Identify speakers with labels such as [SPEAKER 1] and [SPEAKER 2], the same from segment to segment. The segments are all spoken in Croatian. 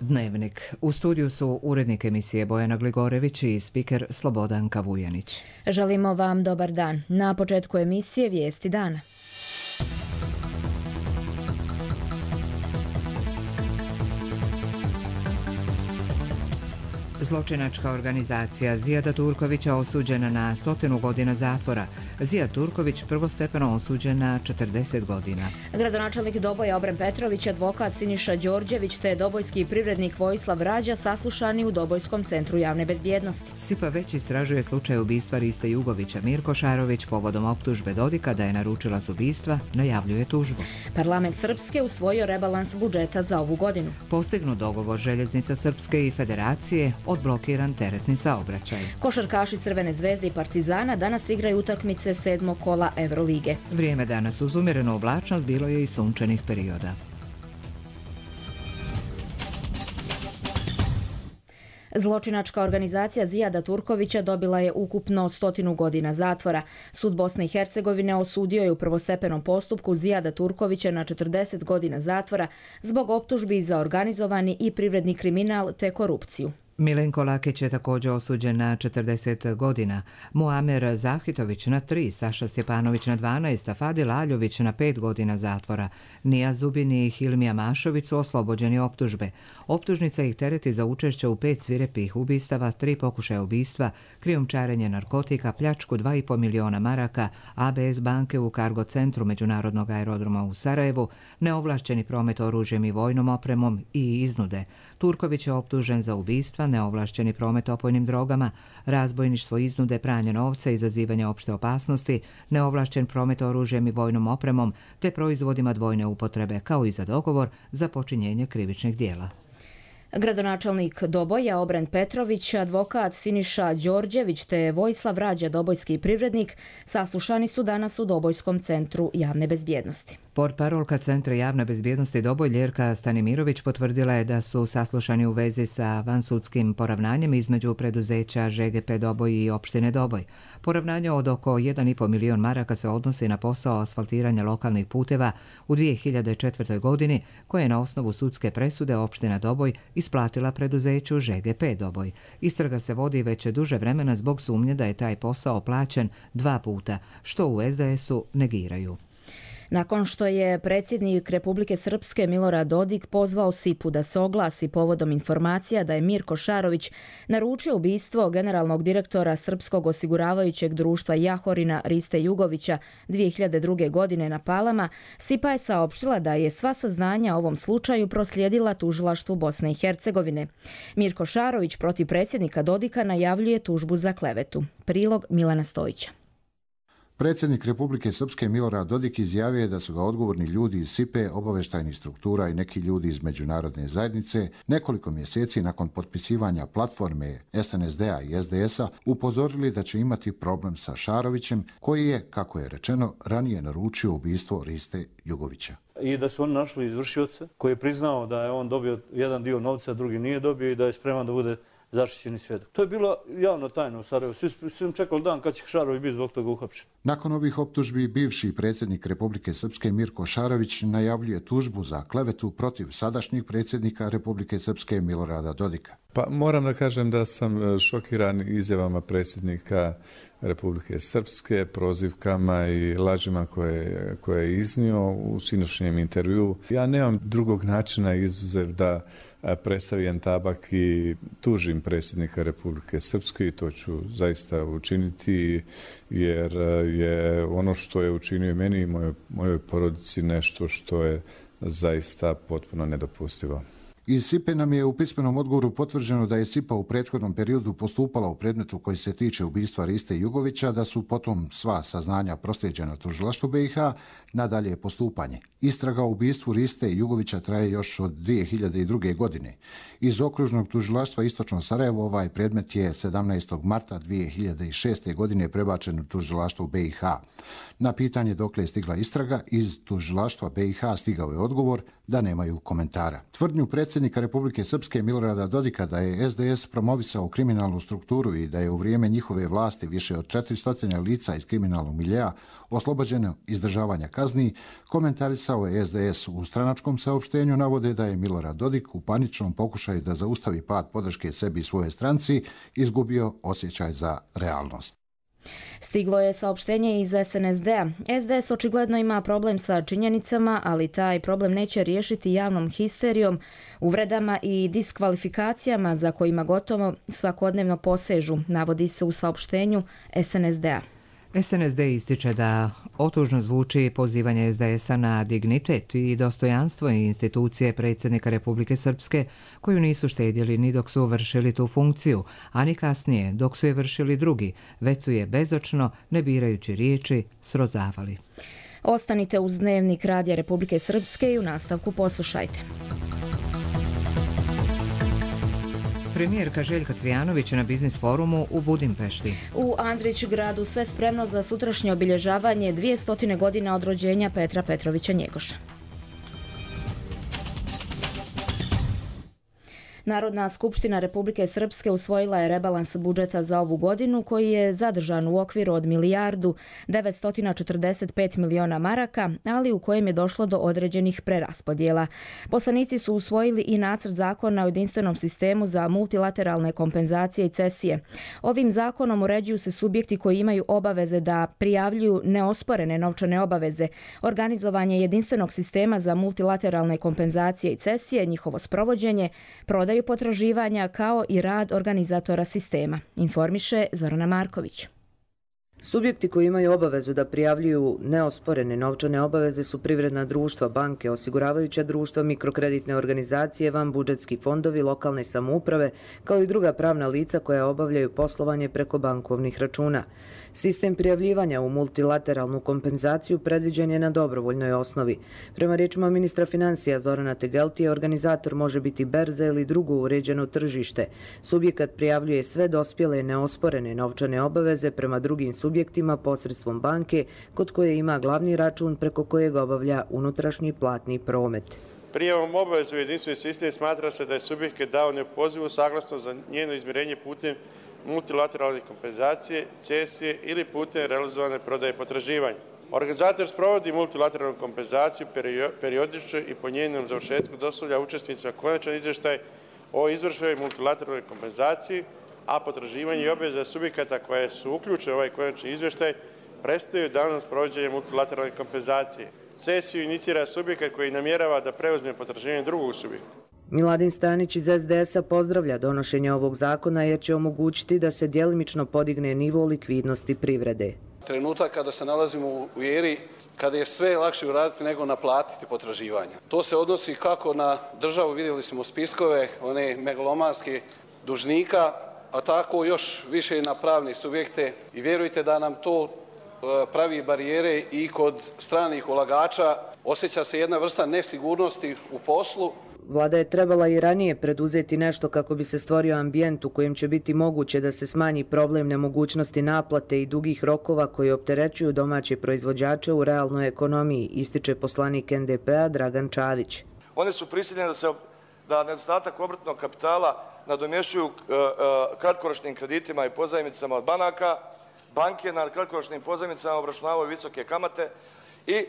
[SPEAKER 1] Dnevnik. U studiju su urednik emisije Bojana Gligorević i spiker Slobodanka Vujanić.
[SPEAKER 2] Želimo vam dobar dan. Na početku emisije vijesti dana.
[SPEAKER 1] Zločinačka organizacija Zijada Turkovića osuđena na 100 godina zatvora. Zijad Turković prvostepeno osuđen na 40 godina.
[SPEAKER 2] Gradonačelnik Doboja Obren Petrović, advokat Siniša Đorđević te dobojski privrednik Vojislav Rađa saslušani u Dobojskom centru javne bezbjednosti.
[SPEAKER 1] SIPA već istražuje slučaj ubistva Riste Jugovića. Mirko Šarović povodom optužbe Dodika da je naručilac ubistva najavljuje tužbu.
[SPEAKER 2] Parlament Srpske usvojio rebalans budžeta za ovu godinu.
[SPEAKER 1] Postignut dogovor Željeznica Srpske i Federacije, odblokiran teretni saobraćaj.
[SPEAKER 2] Košarkaši Crvene zvezde i Partizana danas igraju utakmice 7. kola Evrolige.
[SPEAKER 1] Vrijeme danas uz umjerenu oblačnost bilo je i sunčanih perioda.
[SPEAKER 2] Zločinačka organizacija Zijada Turkovića dobila je ukupno 100 godina zatvora. Sud Bosne i Hercegovine osudio je u prvostepenom postupku Zijada Turkovića na 40 godina zatvora zbog optužbi za organizovani i privredni kriminal te korupciju.
[SPEAKER 1] Milenko Lakić je također osuđen na 40 godina, Muamer Zahitović na 3, Saša Stjepanović na 12, a Fadil Aljović na 5 godina zatvora. Nija Zubin i Hilmija Mašović su oslobođeni optužbe. Optužnica ih tereti za učešće u 5 svirepih ubistava, 3 pokušaja ubistva, krijumčarenje narkotika, pljačku 2,5 miliona maraka, ABS banke u kargo centru Međunarodnog aerodroma u Sarajevu, neovlašćeni promet oružjem i vojnom opremom i iznude. Turković je optužen za ubistva, neovlašćeni promet opojnim drogama, razbojništvo, iznude, pranje novca, izazivanje opšte opasnosti, neovlašćen promet oružjem i vojnom opremom te proizvodima dvojne upotrebe, kao i za dogovor za počinjenje krivičnih djela.
[SPEAKER 2] Gradonačelnik Doboja Obren Petrović, advokat Siniša Đorđević te Vojislav Rađa, dobojski privrednik, saslušani su danas u Dobojskom centru javne bezbjednosti.
[SPEAKER 1] Portparolka Centra javne bezbjednosti Doboj Ljerka Stanimirović potvrdila je da su saslušani u vezi sa vansudskim poravnanjem između preduzeća ŽGP Doboj i opštine Doboj. Poravnanje od oko 1,5 milion maraka se odnosi na posao asfaltiranja lokalnih puteva u 2004. godini, koje je na osnovu sudske presude opština Doboj isplatila preduzeću ŽGP Doboj. Istraga se vodi već duže vremena zbog sumnje da je taj posao plaćen 2 puta, što u SDS-u negiraju.
[SPEAKER 2] Nakon što je predsjednik Republike Srpske Milorad Dodik pozvao SIPA-u da se oglasi povodom informacija da je Mirko Šarović naručio ubistvo generalnog direktora Srpskog osiguravajućeg društva Jahorina Riste Jugovića 2002. godine na Palama, SIPA je saopštila da je sva saznanja o ovom slučaju proslijedila tužilaštvu Bosne i Hercegovine. Mirko Šarović protiv predsjednika Dodika najavljuje tužbu za klevetu. Prilog Milana Stojića.
[SPEAKER 3] Predsjednik Republike Srpske Milorad Dodik izjavio je da su ga odgovorni ljudi iz SIPA-e, obavještajnih struktura i neki ljudi iz međunarodne zajednice nekoliko mjeseci nakon potpisivanja platforme SNSD-a i SDS-a upozorili da će imati problem sa Šarovićem, koji je, kako je rečeno, ranije naručio ubistvo Riste Jugovića.
[SPEAKER 4] I da su oni našli izvršioca koji je priznao da je on dobio jedan dio novca, drugi nije dobio i da je spreman da bude zaštićeni svjedok. To je bilo javno tajno u Sarajevu. Svi čekali dan kad će Šarović biti zbog toga uhapšen.
[SPEAKER 3] Nakon ovih optužbi, bivši predsjednik Republike Srpske Mirko Šarović najavljuje tužbu za klevetu protiv sadašnjeg predsjednika Republike Srpske Milorada Dodika.
[SPEAKER 5] Pa moram da kažem da sam šokiran izjavama predsjednika Republike Srpske, prozivkama i lažima koje je iznio u sinoćnjem intervjuu. Ja nemam drugog načina izuzev da presavijem tabak i tužim predsjednika Republike Srpske i to ću zaista učiniti jer je ono što je učinio meni i mojoj porodici nešto što je zaista potpuno nedopustivo.
[SPEAKER 3] Iz SIPA nam je u pismenom odgovoru potvrđeno da je SIPA u prethodnom periodu postupala u predmetu koji se tiče ubistva Riste Jugovića, da su potom sva saznanja proslijeđena tužilaštvu BiH, nadalje postupanje. Istraga o ubistvu Riste Jugovića traje još od 2002. godine. Iz okružnog tužilaštva Istočno Sarajevo ovaj predmet je 17. marta 2006. godine prebačen u tužilaštvo BiH. Na pitanje dokle je stigla istraga, iz tužilaštva BiH stigao je odgovor da nemaju komentara. Tvrdnju predsjednika predsjednika Republike Srpske Milorada Dodika da je SDS promovisao kriminalnu strukturu i da je u vrijeme njihove vlasti više od 400 lica iz kriminalnog miljea oslobođeno izdržavanja kazni, komentarisao je SDS u stranačkom saopštenju, navode da je Milorad Dodik u paničnom pokušaju da zaustavi pad podrške sebi i svojoj stranci izgubio osjećaj za realnost.
[SPEAKER 2] Stiglo je saopštenje iz SNSD-a. SDS očigledno ima problem sa činjenicama, ali taj problem neće riješiti javnom histerijom, uvredama i diskvalifikacijama za kojima gotovo svakodnevno posežu, navodi se u saopštenju SNSD-a.
[SPEAKER 1] SNSD ističe da otužno zvuči pozivanje SDS-a na dignitet i dostojanstvo institucije predsjednika Republike Srpske, koju nisu štedjeli ni dok su vršili tu funkciju, a ni kasnije dok su je vršili drugi, već su je bezočno, ne birajući riječi, srozavali.
[SPEAKER 2] Ostanite uz Dnevnik Radija Republike Srpske i u nastavku poslušajte.
[SPEAKER 1] Premijerka Željka Cvijanović na Biznis forumu u Budimpešti.
[SPEAKER 2] U Andrićgradu sve spremno za sutrašnje obilježavanje 200 godina od rođenja Petra Petrovića Njegoša. Narodna skupština Republike Srpske usvojila je rebalans budžeta za ovu godinu koji je zadržan u okviru od 1.945.000.000 maraka, ali u kojem je došlo do određenih preraspodjela. Poslanici su usvojili i nacrt zakona o jedinstvenom sistemu za multilateralne kompenzacije i cesije. Ovim zakonom uređuju se subjekti koji imaju obaveze da prijavljuju neosporene novčane obaveze, organizovanje jedinstvenog sistema za multilateralne kompenzacije i cesije, njihovo sprovođenje, prodaju potraživanja kao i rad organizatora sistema, informiše Zorana Marković.
[SPEAKER 6] Subjekti koji imaju obavezu da prijavljuju neosporene novčane obaveze su privredna društva, banke, osiguravajuća društva, mikrokreditne organizacije, vanbudžetski fondovi, lokalne samouprave, kao i druga pravna lica koja obavljaju poslovanje preko bankovnih računa. Sistem prijavljivanja u multilateralnu kompenzaciju predviđen je na dobrovoljnoj osnovi. Prema riječima ministra financija Zorana Tegeltija, organizator može biti berza ili drugo uređeno tržište. Subjekat prijavljuje sve dospjele neosporene novčane obaveze prema drugim subjektima posredstvom banke kod koje ima glavni račun preko kojeg obavlja unutrašnji platni promet.
[SPEAKER 7] Prijavom obavezu u jedinstveni sistem smatra se da je subjekt dao neopozivu saglasnost za njeno izmirenje putem multilateralne kompenzacije, cesije ili putem realizovane prodaje potraživanja. Organizator sprovodi multilateralnu kompenzaciju periodično i po njenom završetku dostavlja učesnicima konačan izvještaj o izvršenoj multilateralnoj kompenzaciji, a potraživanje i obaveze subjekata koje su uključene u ovaj konačni izvještaj prestaju danom sprovođenja multilateralne kompenzacije. Cesiju inicira subjekat koji namjerava da preuzme potraživanje drugog subjekta.
[SPEAKER 6] Miladin Stanić iz SDS-a pozdravlja donošenje ovog zakona jer će omogućiti da se djelimično podigne nivo likvidnosti privrede.
[SPEAKER 8] Trenutak kada se nalazimo u eri kada je sve lakše uraditi nego naplatiti potraživanja. To se odnosi kako na državu, vidjeli smo spiskove, one megalomanske dužnika, a tako još više i na pravne subjekte i vjerujte da nam to pravi barijere i kod stranih ulagača. Osjeća se jedna vrsta nesigurnosti u poslu.
[SPEAKER 6] Vlada je trebala i ranije preduzeti nešto kako bi se stvorio ambijent u kojem će biti moguće da se smanji problem nemogućnosti naplate i dugih rokova koji opterećuju domaće proizvođače u realnoj ekonomiji, ističe poslanik NDP-a Dragan Čavić.
[SPEAKER 9] Oni su prisiljeni da nedostatak obrtnog kapitala nadomješćuju kratkoročnim kreditima i pozajmicama od banaka. Banke na kratkoročnim pozajmicama obračunavaju visoke kamate i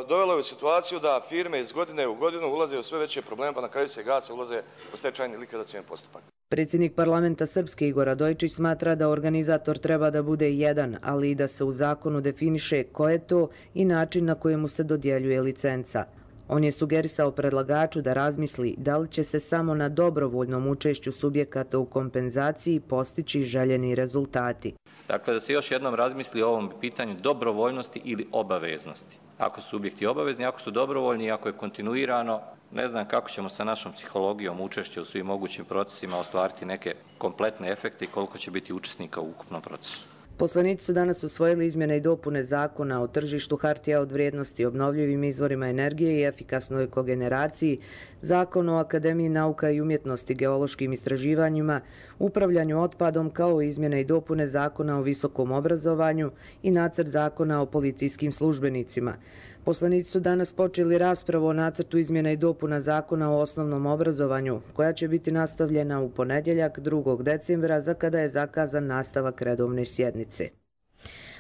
[SPEAKER 9] dovelo je u situaciju da firme iz godine u godinu ulaze u sve veće probleme, pa na kraju se gase, ulaze u stečajni likvidacioni postupak.
[SPEAKER 6] Predsjednik parlamenta Srpske Igor Radojčić smatra da organizator treba da bude jedan, ali i da se u zakonu definiše ko je to i način na kojemu se dodjeljuje licenca. On je sugerisao predlagaču da razmisli da li će se samo na dobrovoljnom učešću subjekata u kompenzaciji postići željeni rezultati.
[SPEAKER 10] Dakle, da se još jednom razmisli o ovom pitanju dobrovoljnosti ili obaveznosti. Ako su subjekti obavezni, ako su dobrovoljni i ako je kontinuirano, ne znam kako ćemo sa našom psihologijom učešća u svim mogućim procesima ostvariti neke kompletne efekte i koliko će biti učesnika u ukupnom procesu.
[SPEAKER 6] Poslanici su danas usvojili izmjene i dopune zakona o tržištu hartija od vrijednosti, obnovljivim izvorima energije i efikasnoj kogeneraciji, zakon o Akademiji nauka i umjetnosti, geološkim istraživanjima, upravljanju otpadom, kao i izmjene i dopune zakona o visokom obrazovanju i nacrt zakona o policijskim službenicima. Poslanici su danas počeli raspravu o nacrtu izmjena i dopuna zakona o osnovnom obrazovanju, koja će biti nastavljena u ponedjeljak 2. decembra, za kada je zakazan nastavak redovne sjednice.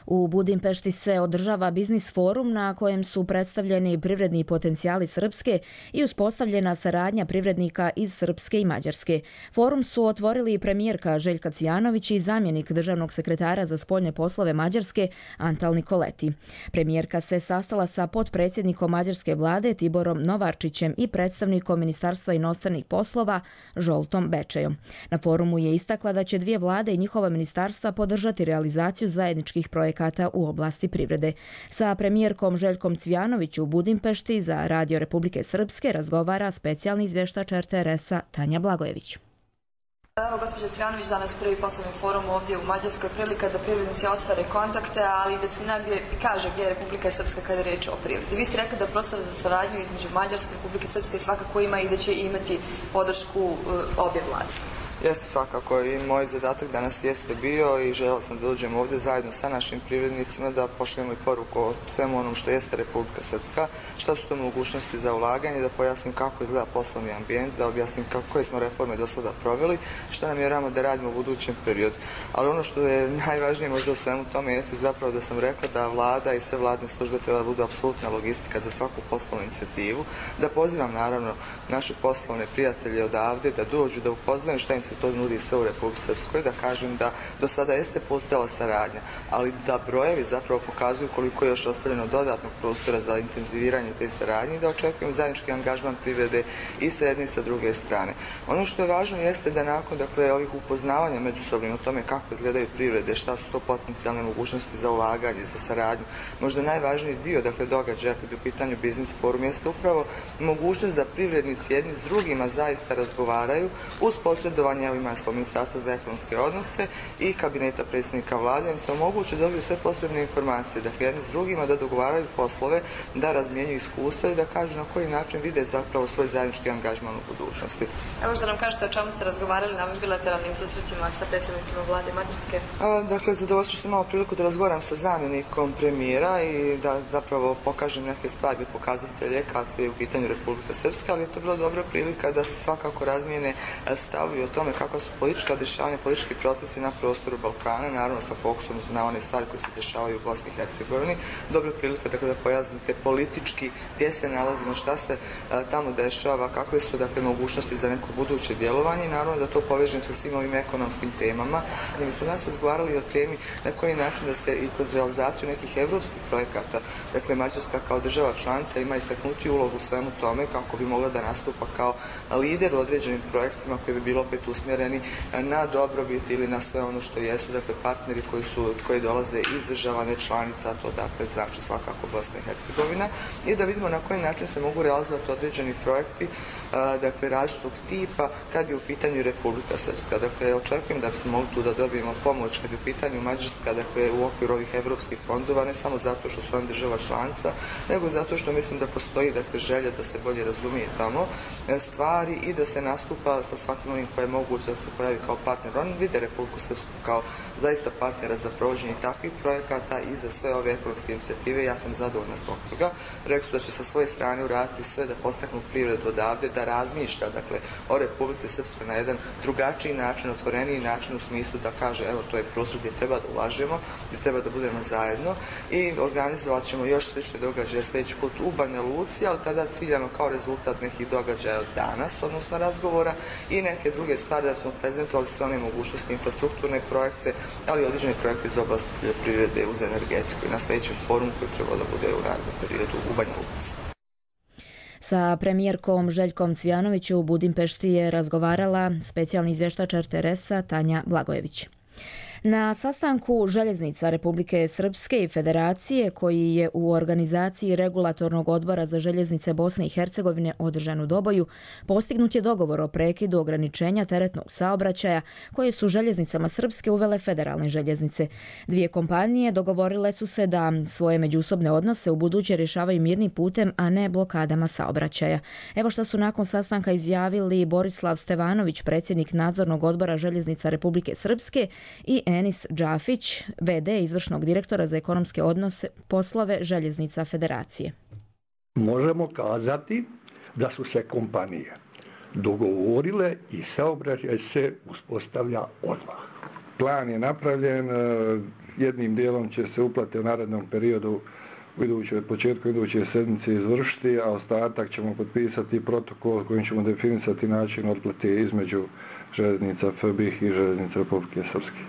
[SPEAKER 2] U Budimpešti se održava biznis forum na kojem su predstavljeni privredni potencijali Srpske i uspostavljena saradnja privrednika iz Srpske i Mađarske. Forum su otvorili premijerka Željka Cvijanović i zamjenik državnog sekretara za spoljne poslove Mađarske Antal Nikoleti. Premijerka se sastala sa potpredsjednikom mađarske vlade Tiborom Novarčićem i predstavnikom Ministarstva inostranih poslova Žoltom Bečejom. Na forumu je istakla da će dvije vlade i njihova ministarstva podržati realizaciju zajedničkih projekata u oblasti privrede. Sa premijerkom Željkom Cvijanović u Budimpešti za Radio Republike Srpske razgovara specijalni izvještač RTS-a Tanja Blagojević.
[SPEAKER 11] Evo, gospođa Cvijanović, danas prvi poslovni forum ovdje u Mađarskoj, prilika da privrednici ostvare kontakte, ali i da se negdje kaže gdje je Republika Srpska kada je riječ o privredi. Vi ste rekli da prostor za saradnju između Mađarske i Republike Srpske svakako ima i da će imati podršku obje vlade.
[SPEAKER 12] Jeste, svakako, i moj zadatak danas jeste bio i želeo sam da dođem ovdje zajedno sa našim privrednicima da pošaljemo i poruku o svemu onom što jeste Republika Srpska, šta su to mogućnosti za ulaganje, da pojasnim kako izgleda poslovni ambijent, da objasnim koje smo reforme do sada proveli, šta namjeravamo da radimo u budućem periodu. Ali ono što je najvažnije možda u svemu tome jeste zapravo da sam rekla da vlada i sve vladne službe treba da budu apsolutna logistika za svaku poslovnu inicijativu, da pozivam naravno naše poslovne prijatelje odavde da dođu, da upoznaju šta im se to nudi sve u Republici Srpskoj, da kažem da do sada jeste postojala saradnja, ali da brojevi zapravo pokazuju koliko je još ostavljeno dodatnog prostora za intenziviranje te saradnje i da očekujem zajednički angažman privrede i sa jedne i sa druge strane. Ono što je važno jeste da nakon ovih upoznavanja međusobnim o tome kako izgledaju privrede, šta su to potencijalne mogućnosti za ulaganje, za saradnju, možda najvažniji dio događaja kad je u pitanju biznis forum jeste upravo mogućnost da privrednici jedni s drugima zaista razgovaraju uz posredovanje Ministarstva za ekonomske odnose i kabineta predsjednika vlade, im se omoguće da dobiju sve potrebne informacije, dakle jedni s drugima da dogovaraju poslove, da razmjenjuju iskustva i da kažu na koji način vide zapravo svoj zajednički angažman u budućnosti.
[SPEAKER 11] Evo što nam kažete o čemu ste razgovarali na ovim bilateralnim susretima sa predsjednicima vlade Mađarske?
[SPEAKER 12] Dakle, zadovoljstvo što sam imala priliku da razgovaram sa zamjenikom premijera i da zapravo pokažem neke stvari, pokazatelje kad je u pitanju Republika Srpska, ali je to bila dobra prilika da se svakako razmijene stavovi o tome kakva su politička dešavanja, politički procesi na prostoru Balkana, naravno sa fokusom na one stvari koje se dešavaju u Bosni i Hercegovini. Dobra prilika da pojasnite politički gdje se nalazimo, šta se tamo dešava, kakve su mogućnosti za neko buduće djelovanje i naravno da to povežem sa svim ovim ekonomskim temama. Mi smo danas razgovarali o temi na koji način da se i kroz realizaciju nekih evropskih projekata, dakle Mađarska kao država članica ima istaknuti ulogu u svemu tome kako bi mogla da nastupa kao lider u određenim projektima koji bi bilo opet usmjereni na dobrobit ili na sve ono što jesu, dakle partneri koji dolaze iz država ne članica, to dakle znači svakako Bosna i Hercegovina, i da vidimo na koji način se mogu realizovati određeni projekti, dakle različitog tipa kad je u pitanju Republika Srpska. Dakle, očekujem da bismo mogli tu da dobijemo pomoć kad je u pitanju Mađarska, dakle u okviru ovih evropskih fondova, ne samo zato što su oni država članica, nego zato što mislim da postoji želja da se bolje razumije tamo stvari i da se nastupa sa svakim onim koje je moguće da se pojavi kao partner. Oni vide Republiku Srpsku kao zaista partnera za provođenje takvih projekata i za sve ove ekonomske inicijative. Ja sam zadovoljna zbog toga. Rekli su da će sa svoje strane uraditi sve da postaknu privredu odavde, da razmišlja o Republici Srpskoj na jedan drugačiji način, otvoreniji način u smislu da kaže evo to je prostor gdje treba da ulažemo, gdje treba da budemo zajedno i organizovat ćemo još slične događaje sljedeći put u Banja Luci, ali tada ciljano kao rezultat nekih događaja od danas, odnosno razgovora i neke druge stvari da smo prezentovali sve one mogućnosti, infrastrukturne projekte, ali i određene projekte iz oblasti poljoprivrede uz energetiku i na sljedećem forumu koji treba da bude u narednom periodu u Banja Luci.
[SPEAKER 2] Sa premijerkom Željkom Cvijanović u Budimpešti je razgovarala specijalni izvještač RTS-a Tanja Blagojević. Na sastanku Željeznica Republike Srpske i Federacije, koji je u organizaciji Regulatornog odbora za željeznice Bosne i Hercegovine održan u Doboju, postignut je dogovor o prekidu ograničenja teretnog saobraćaja koje su željeznicama Srpske uvele federalne željeznice. Dvije kompanije dogovorile su se da svoje međusobne odnose u buduće rješavaju mirnim putem, a ne blokadama saobraćaja. Evo što su nakon sastanka izjavili Borislav Stevanović, predsjednik Nadzornog odbora Željeznica Republike Srpske, i Enis Džafić, VD izvršnog direktora za ekonomske odnose poslove Željeznica Federacije.
[SPEAKER 13] Možemo kazati da su se kompanije dogovorile i saobraćaj se uspostavlja odmah. Plan je napravljen, jednim dijelom će se uplate u narednom periodu početku iduće sedmice izvršiti, a ostatak ćemo potpisati protokol kojim ćemo definisati način otplate između željeznica FBIH i željeznica Republike Srpske.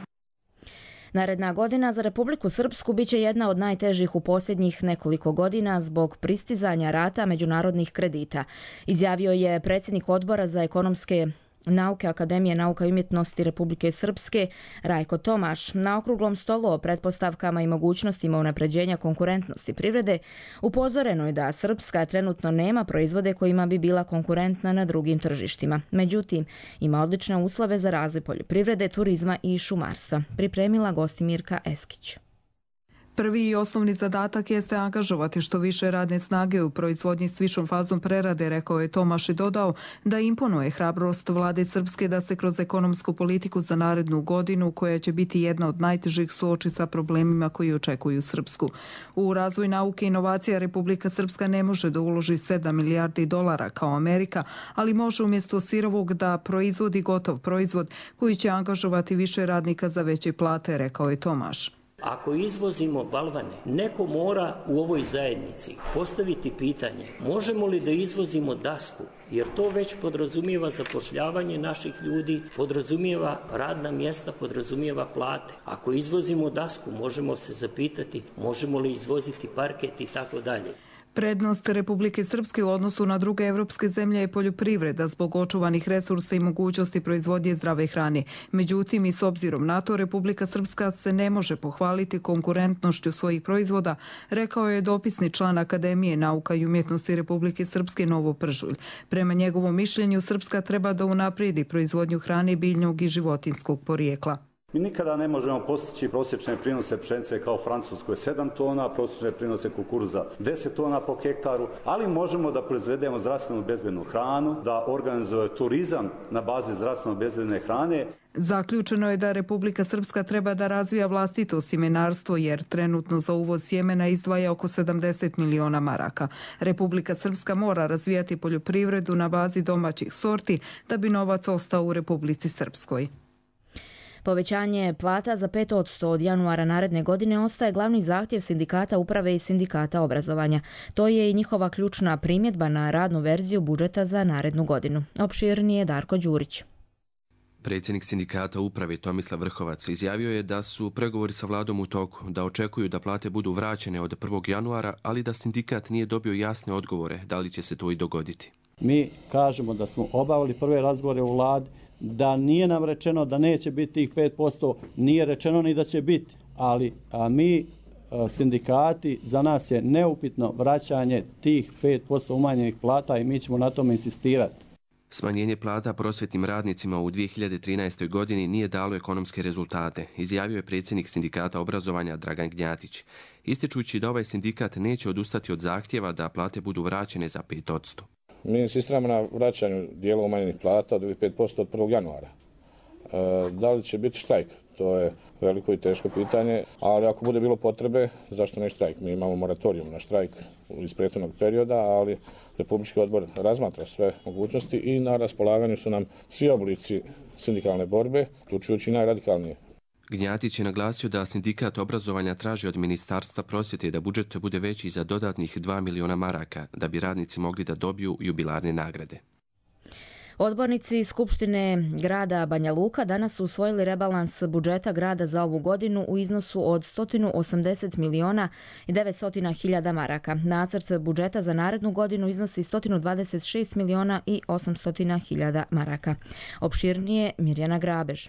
[SPEAKER 2] Naredna godina za Republiku Srpsku biće jedna od najtežih u posljednjih nekoliko godina zbog pristizanja rata međunarodnih kredita, izjavio je predsjednik Odbora za ekonomske nauke Akademije nauka i umjetnosti Republike Srpske Rajko Tomaš. Na okruglom stolu o pretpostavkama i mogućnostima unapređenja konkurentnosti privrede upozoreno je da Srpska trenutno nema proizvode kojima bi bila konkurentna na drugim tržištima. Međutim, ima odlične uslove za razvoj poljoprivrede, turizma i šumarstva. Pripremila Gostimirka Eskić.
[SPEAKER 14] Prvi i osnovni zadatak jeste angažovati što više radne snage u proizvodnji s višom fazom prerade, rekao je Tomaš i dodao da imponuje hrabrost vlade Srpske da se kroz ekonomsku politiku za narednu godinu, koja će biti jedna od najtežih, suoči sa problemima koji očekuju Srpsku. U razvoj nauke i inovacija Republika Srpska ne može da uloži 7 milijardi dolara kao Amerika, ali može umjesto sirovog da proizvodi gotov proizvod koji će angažovati više radnika za veće plate, rekao je Tomaš.
[SPEAKER 15] Ako izvozimo balvane, neko mora u ovoj zajednici postaviti pitanje možemo li da izvozimo dasku, jer to već podrazumijeva zapošljavanje naših ljudi, podrazumijeva radna mjesta, podrazumijeva plate. Ako izvozimo dasku, možemo se zapitati možemo li izvoziti parket i tako dalje.
[SPEAKER 14] Prednost Republike Srpske u odnosu na druge evropske zemlje je poljoprivreda zbog očuvanih resursa i mogućnosti proizvodnje zdrave hrane. Međutim, i s obzirom na to, Republika Srpska se ne može pohvaliti konkurentnošću svojih proizvoda, rekao je dopisni član Akademije nauka i umjetnosti Republike Srpske Novo Pržulj. Prema njegovom mišljenju, Srpska treba da unaprijedi proizvodnju hrane biljnog i životinjskog porijekla.
[SPEAKER 16] Mi nikada ne možemo postići prosječne prinose pšenice kao Francuskoj 7 tona, prosječne prinose kukuruza 10 tona po hektaru, ali možemo da proizvedemo zdravstveno bezbednu hranu, da organizuje turizam na bazi zdravstveno bezbedne hrane.
[SPEAKER 14] Zaključeno je da Republika Srpska treba da razvija vlastito sjemenarstvo jer trenutno za uvoz sjemena izdvaja oko 70 miliona maraka. Republika Srpska mora razvijati poljoprivredu na bazi domaćih sorti da bi novac ostao u Republici Srpskoj.
[SPEAKER 2] Povećanje plata za 5% od januara naredne godine ostaje glavni zahtjev sindikata uprave i sindikata obrazovanja. To je i njihova ključna primjedba na radnu verziju budžeta za narednu godinu. Opširnije Darko Đurić.
[SPEAKER 17] Predsjednik sindikata uprave Tomislav Vrhovac izjavio je da su pregovori sa vladom u toku, da očekuju da plate budu vraćene od 1. januara, ali da sindikat nije dobio jasne odgovore da li će se to i dogoditi.
[SPEAKER 18] Mi kažemo da smo obavili prve razgovore u vladi, da nije nam rečeno da neće biti tih 5%, nije rečeno ni da će biti, ali mi sindikati, za nas je neupitno vraćanje tih 5% umanjenih plata i mi ćemo na tome insistirati.
[SPEAKER 17] Smanjenje plata prosvjetnim radnicima u 2013. godini nije dalo ekonomske rezultate, izjavio je predsjednik sindikata obrazovanja Dragan Gnjatić, ističući da ovaj sindikat neće odustati od zahtjeva da plate budu vraćene za 5%.
[SPEAKER 19] Mi insistiramo na vraćanju dijela umanjenih plata od 5% od 1. januara. Da li će biti štrajk? To je veliko i teško pitanje, ali ako bude bilo potrebe, zašto ne štrajk? Mi imamo moratorium na štrajk iz prethodnog perioda, ali Republički odbor razmatra sve mogućnosti i na raspolaganju su nam svi oblici sindikalne borbe, uključujući najradikalnije.
[SPEAKER 17] Gnjatić je naglasio da sindikat obrazovanja traži od Ministarstva prosvjete da budžet bude veći za dodatnih 2 miliona maraka, da bi radnici mogli da dobiju jubilarne nagrade.
[SPEAKER 2] Odbornici Skupštine grada Banja Luka danas su usvojili rebalans budžeta grada za ovu godinu u iznosu od 180 miliona i 900 hiljada maraka. Nacrt budžeta za narednu godinu iznosi 126 miliona i 800 hiljada maraka. Opširnije Mirjana Grabež.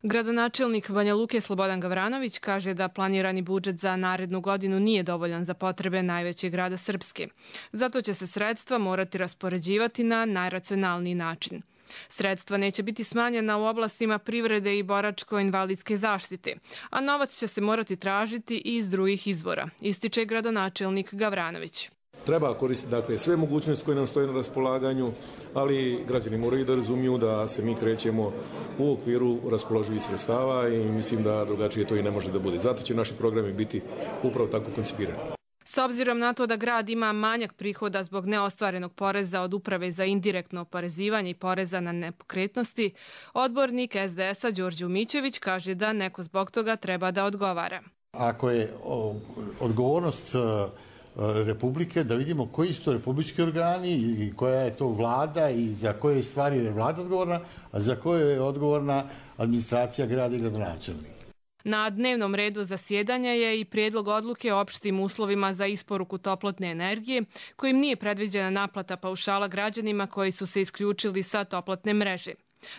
[SPEAKER 20] Gradonačelnik Banja Luke Slobodan Gavranović kaže da planirani budžet za narednu godinu nije dovoljan za potrebe najvećeg grada Srpske. Zato će se sredstva morati raspoređivati na najracionalniji način. Sredstva neće biti smanjena u oblastima privrede i boračko-invalidske zaštite, a novac će se morati tražiti i iz drugih izvora, ističe gradonačelnik Gavranović.
[SPEAKER 21] Treba koristiti sve mogućnosti koje nam stoje na raspolaganju, ali građani moraju da razumiju da se mi krećemo u okviru raspoloživih sredstava i mislim da drugačije to i ne može da bude. Zato će naši programi biti upravo tako koncipirani.
[SPEAKER 20] S obzirom na to da grad ima manjak prihoda zbog neostvarenog poreza od Uprave za indirektno oporezivanje i poreza na nepokretnosti, odbornik SDS-a Đorđe Umićević kaže da neko zbog toga treba da odgovara.
[SPEAKER 22] Ako je odgovornost Republike, da vidimo koji su to republički organi i koja je to vlada i za koje stvari je vlada odgovorna, a za koje je odgovorna administracija grada i gradonačelnika.
[SPEAKER 20] Na dnevnom redu zasjedanja je i prijedlog odluke o opštim uslovima za isporuku toplotne energije, kojim nije predviđena naplata paušala građanima koji su se isključili sa toplotne mreže.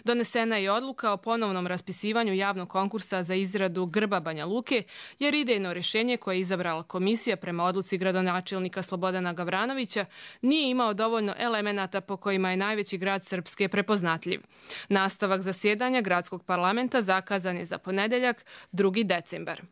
[SPEAKER 20] Donesena je odluka o ponovnom raspisivanju javnog konkursa za izradu grba Banja Luke, jer idejno rješenje koje je izabrala komisija prema odluci gradonačelnika Slobodana Gavranovića nije imao dovoljno elemenata po kojima je najveći grad Srpske prepoznatljiv. Nastavak zasjedanja gradskog parlamenta zakazan je za ponedeljak, 2. decembar.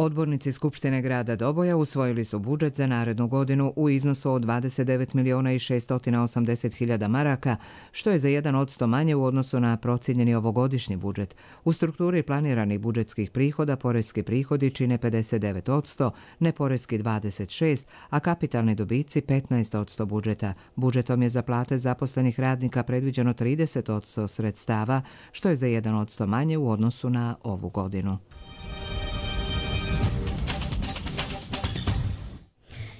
[SPEAKER 1] Odbornici Skupštine grada Doboja usvojili su budžet za narednu godinu u iznosu od 29.680.000 maraka, što je za 1% manje u odnosu na procijenjeni ovogodišnji budžet. U strukturi planiranih budžetskih prihoda poreski prihodi čine 59%, neporeski 26%, a kapitalni dobici 15% budžeta. Budžetom je za plate zaposlenih radnika predviđeno 30% sredstava, što je za 1% manje u odnosu na ovu godinu.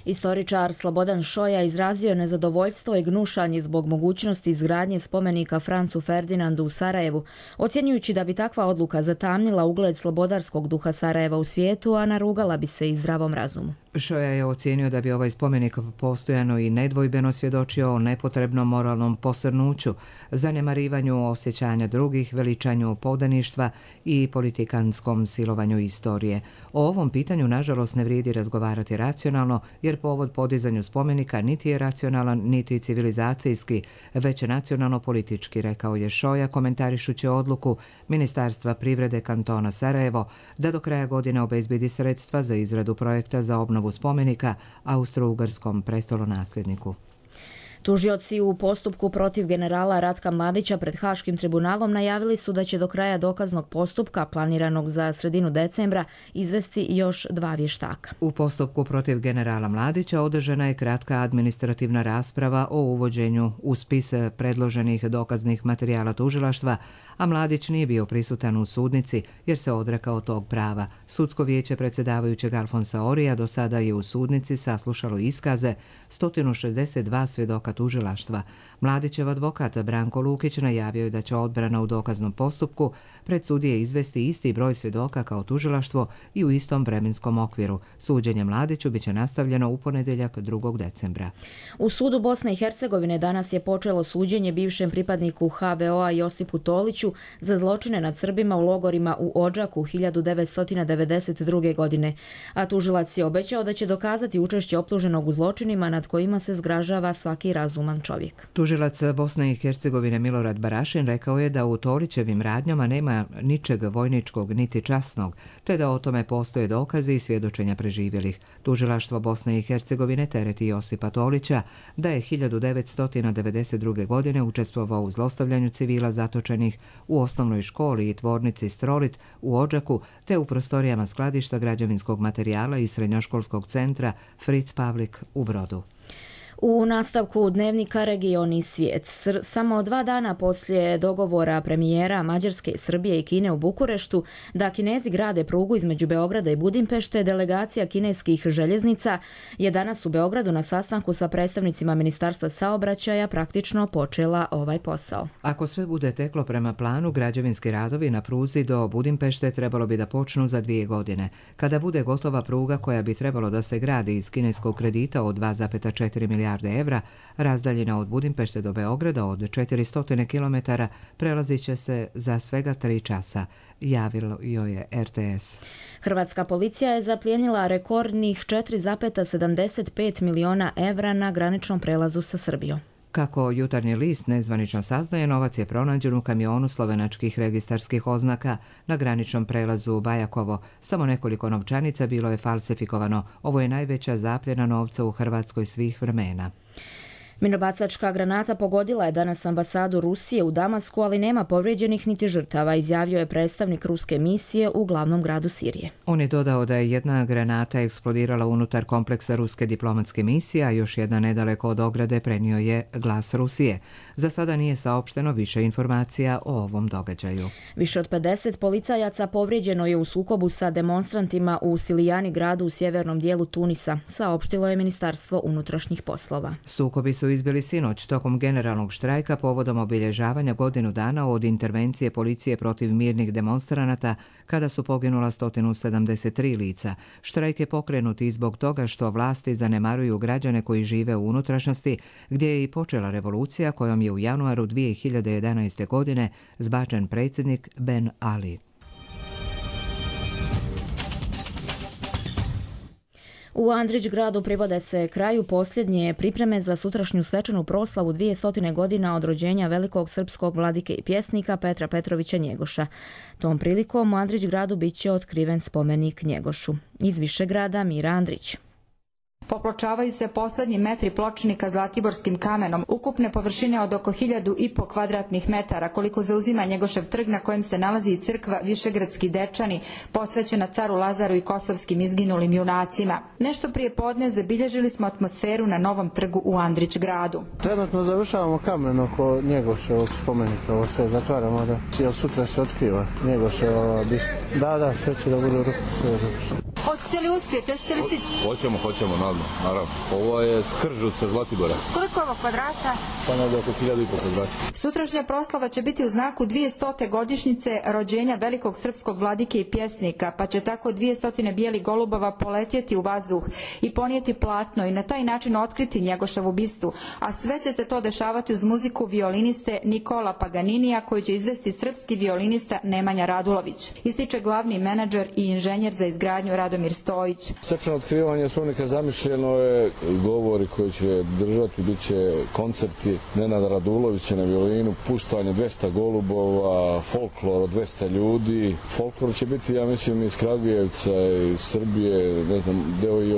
[SPEAKER 2] Istoričar Slobodan Šoja izrazio je nezadovoljstvo i gnušanje zbog mogućnosti izgradnje spomenika Francu Ferdinandu u Sarajevu, ocjenjujući da bi takva odluka zatamnila ugled slobodarskog duha Sarajeva u svijetu, a narugala bi se i zdravom razumu.
[SPEAKER 1] Šoja je ocijenio da bi ovaj spomenik postojano i nedvojbeno svjedočio o nepotrebnom moralnom posrnuću, zanemarivanju osjećanja drugih, veličanju podaništva i politikanskom silovanju istorije. O ovom pitanju, nažalost, ne vrijedi razgovarati racionalno, jer povod podizanju spomenika niti je racionalan, niti civilizacijski, već nacionalno-politički, rekao je Šoja komentarišući odluku Ministarstva privrede kantona Sarajevo da do kraja godine obezbedi sredstva za izradu projekta za obnovu spomenika austro-ugarskom prestolonasljedniku.
[SPEAKER 2] Tužioci u postupku protiv generala Ratka Mladića pred Haškim tribunalom najavili su da će do kraja dokaznog postupka, planiranog za sredinu decembra, izvesti još 2 vještaka.
[SPEAKER 1] U postupku protiv generala Mladića održana je kratka administrativna rasprava o uvođenju u spis predloženih dokaznih materijala tužilaštva, a Mladić nije bio prisutan u sudnici jer se odrekao tog prava. Sudsko vijeće predsjedavajućeg Alfonsa Orija do sada je u sudnici saslušalo iskaze 162 svjedoka tužilaštva. Mladićev advokat Branko Lukić najavio je da će odbrana u dokaznom postupku pred sudije izvesti isti broj svjedoka kao tužilaštvo i u istom vremenskom okviru. Suđenje Mladiću biće nastavljeno u ponedjeljak 2. decembra.
[SPEAKER 2] U sudu Bosne i Hercegovine danas je počelo suđenje bivšem pripadniku HVO-a Josipu Toliću za zločine nad Srbima u logorima u Odžaku 1992. godine, a tužilac je obećao da će dokazati učešće optuženog u zločinima nad kojima se zgražava svaki razuman čovjek.
[SPEAKER 1] Tužilac Bosne i Hercegovine Milorad Barašin rekao je da u Tolićevim radnjama nema ničeg vojničkog niti časnog, te da o tome postoje dokazi i svjedočenja preživjelih. Tužilaštvo Bosne i Hercegovine tereti Josipa Tolića da je 1992. godine učestvovao u zlostavljanju civila zatočenih u osnovnoj školi i tvornici Strolit u Odžaku, te u prostorijama skladišta građevinskog materijala i srednjoškolskog centra Fritz Pavlik u Brodu.
[SPEAKER 2] U nastavku dnevnika Region i svijet. Samo 2 dana poslije dogovora premijera Mađarske, Srbije i Kine u Bukureštu da Kinezi grade prugu između Beograda i Budimpešte, delegacija kineskih željeznica je danas u Beogradu na sastanku sa predstavnicima Ministarstva saobraćaja praktično počela ovaj posao.
[SPEAKER 1] Ako sve bude teklo prema planu, građevinski radovi na pruzi do Budimpešte trebalo bi da počnu za 2 godine. Kada bude gotova pruga koja bi trebalo da se gradi iz kineskog kredita od 2,4 milijarde milijarde evra, razdaljina od Budimpešte do Beograda od 400 km prelazit će se za svega 3 časa, javilo joj je RTS.
[SPEAKER 2] Hrvatska policija je zaplijenila rekordnih 4,75 miliona evra na graničnom prelazu sa Srbijom.
[SPEAKER 1] Kako Jutarnji list nezvanično saznaje, novac je pronađen u kamionu slovenačkih registarskih oznaka na graničnom prelazu Bajakovo. Samo nekoliko novčanica bilo je falsifikovano. Ovo je najveća zapljena novca u Hrvatskoj svih vremena.
[SPEAKER 2] Minobacačka granata pogodila je danas ambasadu Rusije u Damasku, ali nema povrijeđenih niti žrtava, izjavio je predstavnik ruske misije u glavnom gradu Sirije.
[SPEAKER 1] On je dodao da je jedna granata eksplodirala unutar kompleksa ruske diplomatske misije, a još jedna nedaleko od ograde, prenio je Glas Rusije. Za sada nije saopšteno više informacija o ovom događaju.
[SPEAKER 2] Više od 50 policajaca povrijeđeno je u sukobu sa demonstrantima u Silijani gradu u sjevernom dijelu Tunisa, saopštilo je Ministarstvo unutrašnjih poslova.
[SPEAKER 1] Sukobi su izbili sinoć tokom generalnog štrajka povodom obilježavanja godinu dana od intervencije policije protiv mirnih demonstranata kada su poginula 173 lica. Štrajk je pokrenut i zbog toga što vlasti zanemaruju građane koji žive u unutrašnjosti, gdje je i počela revolucija kojom je u januaru 2011. godine zbačen predsjednik Ben Ali.
[SPEAKER 2] U Andrićgradu privode se kraju posljednje pripreme za sutrašnju svečanu proslavu 200 godina od rođenja velikog srpskog vladike i pjesnika Petra Petrovića Njegoša. Tom prilikom u Andrićgradu bit će otkriven spomenik Njegošu. Iz Višegrada Mira Andrić.
[SPEAKER 4] Popločavaju se posljednji metri pločnika zlatiborskim kamenom, ukupne površine od oko 1500 kvadratnih metara, koliko zauzima Njegošev trg na kojem se nalazi i crkva Višegradski Dečani, posvećena caru Lazaru i kosovskim izginulim junacima. Nešto prije podne zabilježili smo atmosferu na novom trgu u Andrićgradu.
[SPEAKER 5] Trenutno završavamo kamen oko Njegoševog spomenika, ovo sve zatvaramo, jer sutra se otkriva Njegoševa bista. Da, sve će da bude u ruku, sve je završeno.
[SPEAKER 4] Hoćete li uspjeti? Hoćete li stići?
[SPEAKER 23] Hoćemo, naravno. Ovo je Skržovca Zlatibora.
[SPEAKER 4] Koliko je ovo kvadrata?
[SPEAKER 23] Pa negdje oko 1500 kvadrata.
[SPEAKER 4] Sutrašnja proslava će biti u znaku 200. godišnjice rođenja velikog srpskog vladike i pjesnika, pa će tako 200 bijelih golubova poletjeti u vazduh i ponijeti platno i na taj način otkriti Njegoševu bistu, a sve će se to dešavati uz muziku violiniste Nikola Paganinija, koju će izvesti srpski violinista Nemanja Radulović. Ističe glavni menadžer i inženjer za izgradnju Radomir Stojić.
[SPEAKER 23] Svečano otkrivanje spomenika zamišljeno je, govori koji će držati, bit će koncerti Nenada Radulovića na violinu, puštanje 200 golubova, folklor od 200 ljudi. Folklor će biti, ja mislim, iz Kragujevca, iz Srbije, ne znam, deo i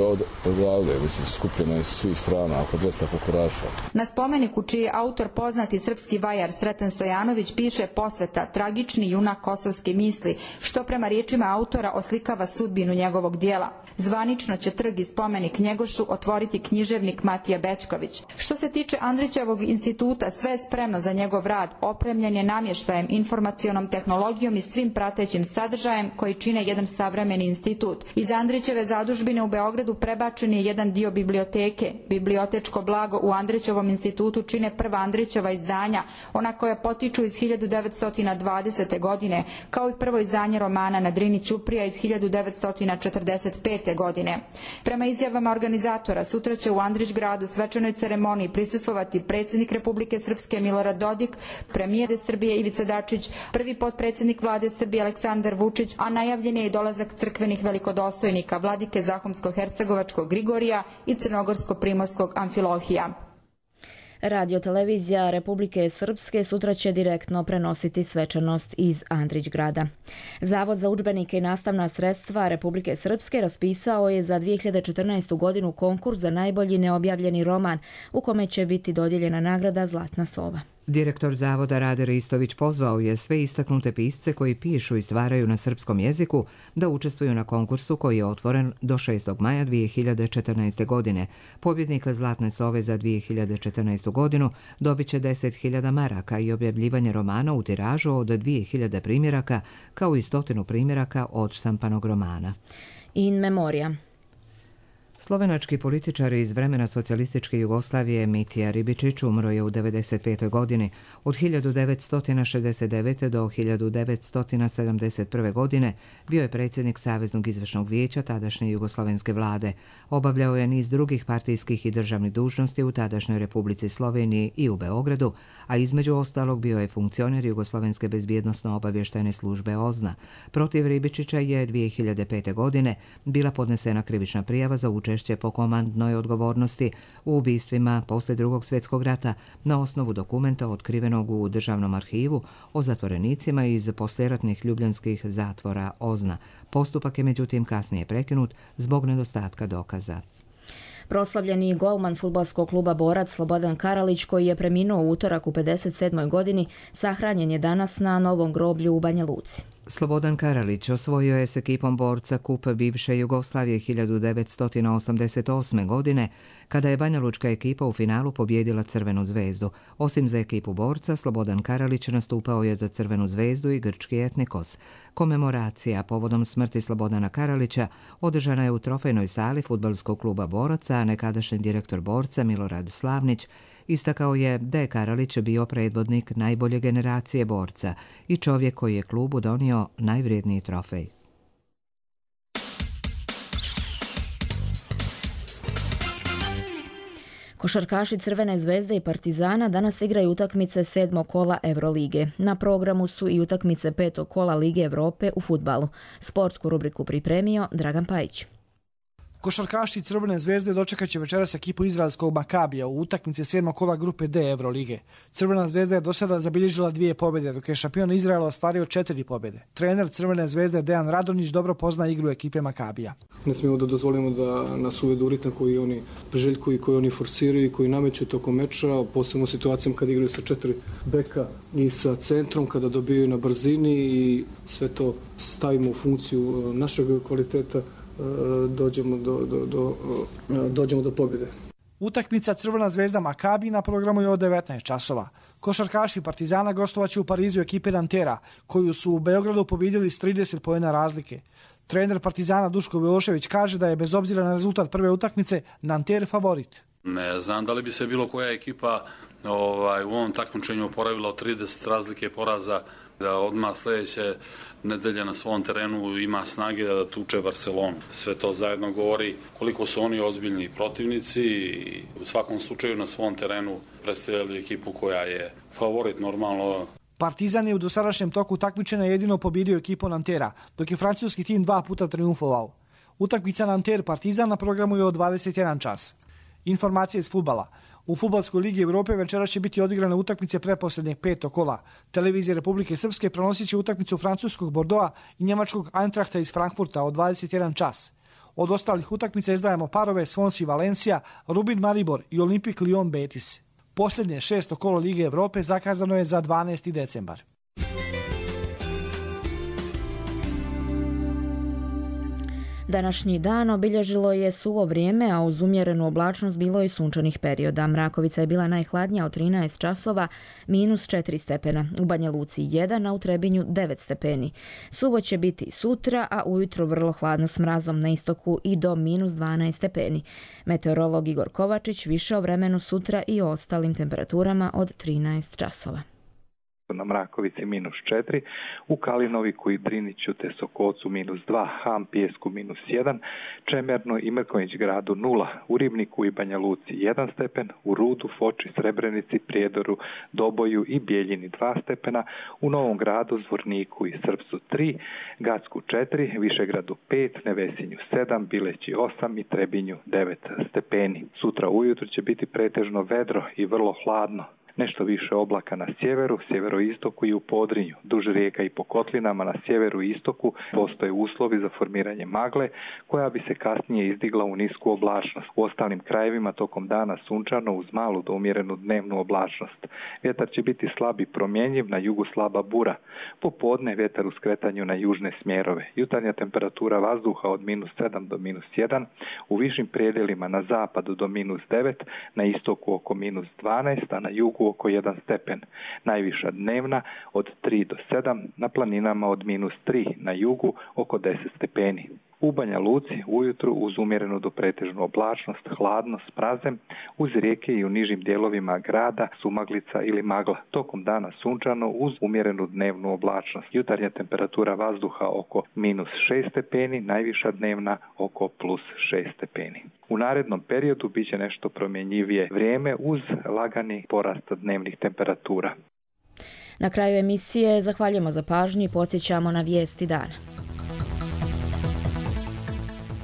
[SPEAKER 23] odavde, mislim, skupljeno iz svih strana, oko 200 pokuraša.
[SPEAKER 4] Na spomeniku, čiji je autor poznati srpski vajar Sreten Stojanović, piše posveta tragični junak kosovske misli, što prema riječima autora oslikava sudbinu njegovog dijela. Zvanično će trg i spomenik Njegošu otvoriti književnik Matija Bečković. Što se tiče Andrićevog instituta, sve je spremno za njegov rad, opremljen je namještajem, informacionom tehnologijom i svim pratećim sadržajem koji čine jedan savremeni institut. Iz Andrićeve zadužbine u Beogradu prebačen je jedan dio biblioteke. Bibliotečko blago u Andrićevom institutu čine prva Andrićeva izdanja, ona koja potiču iz 1920. godine, kao i prvo izdanje romana Na Drini Ćuprija iz 1945. godine. Prema izjavama organizatora, sutra će u Andrićgradu svečanoj ceremoniji prisustvovati predsjednik Republike Srpske Milorad Dodik, premijer Srbije Ivica Dačić, prvi potpredsjednik vlade Srbije Aleksandar Vučić, a najavljen je i dolazak crkvenih velikodostojnika vladike Zahumsko-hercegovačkog Grigorija i crnogorsko-primorskog Amfilohija.
[SPEAKER 2] Radio-televizija Republike Srpske sutra će direktno prenositi svečanost iz Andrićgrada. Zavod za udžbenike i nastavna sredstva Republike Srpske raspisao je za 2014. godinu konkurs za najbolji neobjavljeni roman, u kome će biti dodijeljena nagrada Zlatna sova.
[SPEAKER 1] Direktor Zavoda Rade Ristović pozvao je sve istaknute pisce koji pišu i stvaraju na srpskom jeziku da učestvuju na konkursu koji je otvoren do 6. maja 2014. godine. Pobjednika Zlatne sove za 2014. godinu dobit će 10.000 maraka i objavljivanje romana u tiražu od 2.000 primjeraka kao i 100 primjeraka od štampanog romana.
[SPEAKER 2] In memoria.
[SPEAKER 1] Slovenački političar iz vremena socijalističke Jugoslavije Mitija Ribičić umro je u 95. godini. Od 1969. do 1971. godine bio je predsjednik Saveznog izvršnog vijeća tadašnje jugoslovenske vlade. Obavljao je niz drugih partijskih i državnih dužnosti u tadašnjoj Republici Sloveniji i u Beogradu, a između ostalog bio je funkcioner Jugoslovenske bezbjednosno-obavještajne službe OZNA. Protiv Ribičića je 2005. godine bila podnesena krivična prijava za učešće po komandnoj odgovornosti u ubistvima poslije Drugog svjetskog rata na osnovu dokumenta otkrivenog u Državnom arhivu o zatvorenicima iz poslijeratnih ljubljanskih zatvora OZNA. Postupak je međutim kasnije prekinut zbog nedostatka dokaza.
[SPEAKER 2] Proslavljeni golman fudbalskog kluba Borac Slobodan Karalić, koji je preminuo u utorak u 57. godini, sahranjen je danas na Novom groblju u Banja Luci.
[SPEAKER 1] Slobodan Karalić osvojio je s ekipom Borca kup bivše Jugoslavije 1988. godine, kada je banjalučka ekipa u finalu pobijedila Crvenu zvezdu. Osim za ekipu Borca, Slobodan Karalić nastupao je za Crvenu zvezdu i grčki Etnikos. Komemoracija povodom smrti Slobodana Karalića održana je u trofejnoj sali fudbalskog kluba Boraca, a nekadašnji direktor Borca Milorad Slavnić istakao je da je Karalić bio predvodnik najbolje generacije Borca i čovjek koji je klubu donio najvrijedniji trofej.
[SPEAKER 2] Košarkaši Crvene zvezde i Partizana danas igraju utakmice 7. kola Eurolige. Na programu su i utakmice 5. kola Lige Europe u fudbalu. Sportsku rubriku pripremio Dragan Pajić.
[SPEAKER 3] Košarkaši Crvene zvezde dočekat će večeras ekipu izraelskog Makabija u utakmici 7. kola grupe D Eurolige. Crvena zvezda je do sada zabilježila 2 pobjede, dok je šampion Izraela ostvario 4 pobjede. Trener Crvene zvezde Dejan Radonjić dobro pozna igru ekipe Makabija.
[SPEAKER 7] Ne smijemo da dozvolimo da nas uvedu u ritam koji oni priželjkuju i koji oni forsiraju i koji nameću tokom meča, posebno u situacijama kad igraju sa 4 beka i sa centrom, kada dobijaju na brzini i sve to stavimo u funkciju našeg kvaliteta, dođemo do pobjede.
[SPEAKER 3] Utakmica Crvena zvezda Makabi na programu je od 19 časova. Košarkaši Partizana gostovaće u Parizu ekipe Nantera, koju su u Beogradu pobjedili s 30 poena razlike. Trener Partizana Duško Milošević kaže da je bez obzira na rezultat prve utakmice Nanter favorit.
[SPEAKER 8] Ne znam da li bi se bilo koja ekipa u ovom takmičenju oporavila od 30 razlike poraza, da odmah sljedeće nedelje na svom terenu ima snage da tuče Barcelonu. Sve to zajedno govori koliko su oni ozbiljni protivnici i u svakom slučaju na svom terenu predstavljali ekipu koja je favorit normalno.
[SPEAKER 3] Partizan je u dosadašnjem toku takmičenja jedino pobjedio ekipu Nantera, dok je francuski tim 2 puta triumfovao. Utakmica Nanter-Partizan na programu je od 21 čas. Informacije iz fudbala. U Fudbalskoj ligi Europe večera će biti odigrane utakmice pretposljednjeg 5. kola. Televizija Republike Srpske prenosit će utakmicu francuskog Bordeauxa i njemačkog Eintrachta iz Frankfurta od 21 čas. Od ostalih utakmica izdvajamo parove Swansea Valencia, Rubin Maribor i Olympique Lyon Betis. Posljednje 6. kolo Lige Europe zakazano je za 12. decembar.
[SPEAKER 2] Današnji dan obilježilo je suvo vrijeme, a uz umjerenu oblačnost bilo i sunčanih perioda. Mrakovica je bila najhladnija od 13 časova, -4 stepena. U Banja Luci 1, a u Trebinju 9 stepeni. Suvo će biti sutra, a ujutro vrlo hladno s mrazom na istoku i do -12 stepeni. Meteorolog Igor Kovačić više o vremenu sutra i o ostalim temperaturama od 13 časova.
[SPEAKER 24] Na Mrakovici -4, u Kalinoviku i Driniću te Sokolcu -2, Ham Pijesku -1, Čemerno i Mrkonjić gradu 0, u Ribniku i Banja Luci 1 stepen, u Rudu, Foči, Srebrenici, Prijedoru, Doboju i Bijeljini 2 stepena, u Novom gradu, Zvorniku i Srpsu 3, Gacku 4, Višegradu 5, Nevesinju 7, Bileći 8 i Trebinju 9 stepeni. Sutra ujutro će biti pretežno vedro i vrlo hladno. Nešto više oblaka na sjeveru, sjeveroistoku i u Podrinju. Duž rijeka i po kotlinama na sjeveru i istoku postoje uslovi za formiranje magle, koja bi se kasnije izdigla u nisku oblačnost. U ostalim krajevima tokom dana sunčano uz malu do umjerenu dnevnu oblačnost. Vjetar će biti slab i promjenjiv, na jugu slaba bura. Popodne vjetar u skretanju na južne smjerove. Jutarnja temperatura vazduha od -7 do -1, u višim predjelima na zapadu do -9, na istoku oko -12, a na jugu oko 1 stepen. Najviša dnevna od 3 do 7, na planinama od -3, na jugu oko 10 stepeni. U Banja Luci ujutru uz umjerenu do pretežnu oblačnost, hladno s mrazem, uz rijeke i u nižim dijelovima grada sumaglica ili magla. Tokom dana sunčano uz umjerenu dnevnu oblačnost. Jutarnja temperatura vazduha oko -6 stepeni, najviša dnevna oko +6 stepeni. U narednom periodu bit će nešto promjenjivije vrijeme uz lagani porast dnevnih temperatura.
[SPEAKER 2] Na kraju emisije zahvaljujemo za pažnju i podsjećamo na vijesti dana.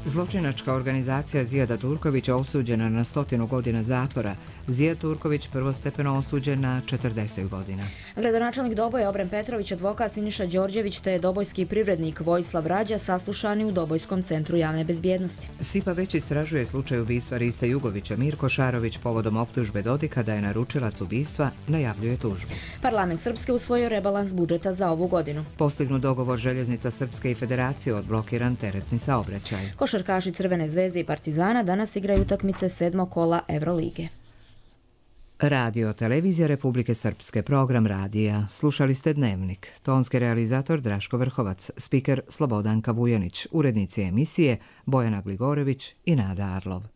[SPEAKER 1] Zločinačka organizacija Zijada Turkovića osuđena na 100 godina zatvora. Zijad Turković prvostepeno osuđen na 40 godina.
[SPEAKER 2] Gradonačelnik Doboja Obren Petrović, advokat Siniša Đorđević te dobojski privrednik Vojislav Rađa saslušani u Dobojskom centru javne bezbjednosti.
[SPEAKER 1] SIPA već istražuje slučaj ubistva Riste Jugovića. Mirko Šarović povodom optužbe Dodika da je naručilac ubistva najavljuje tužbu.
[SPEAKER 2] Parlament Srpske usvojio rebalans budžeta za ovu godinu.
[SPEAKER 1] Postignut dogovor Željeznica Srpske i Federacije odblokiran teretni saobraćaj.
[SPEAKER 2] Košarkaši Crvene zvezde i Partizana danas igraju utakmice 7. kola Evrolige.
[SPEAKER 1] Radio Televizija Republike Srpske, program radija. Slušali ste Dnevnik. Tonski realizator Draško Vrhovac, spiker Slobodanka Vujanić, urednici emisije Bojana Gligorević i Nada Arlov.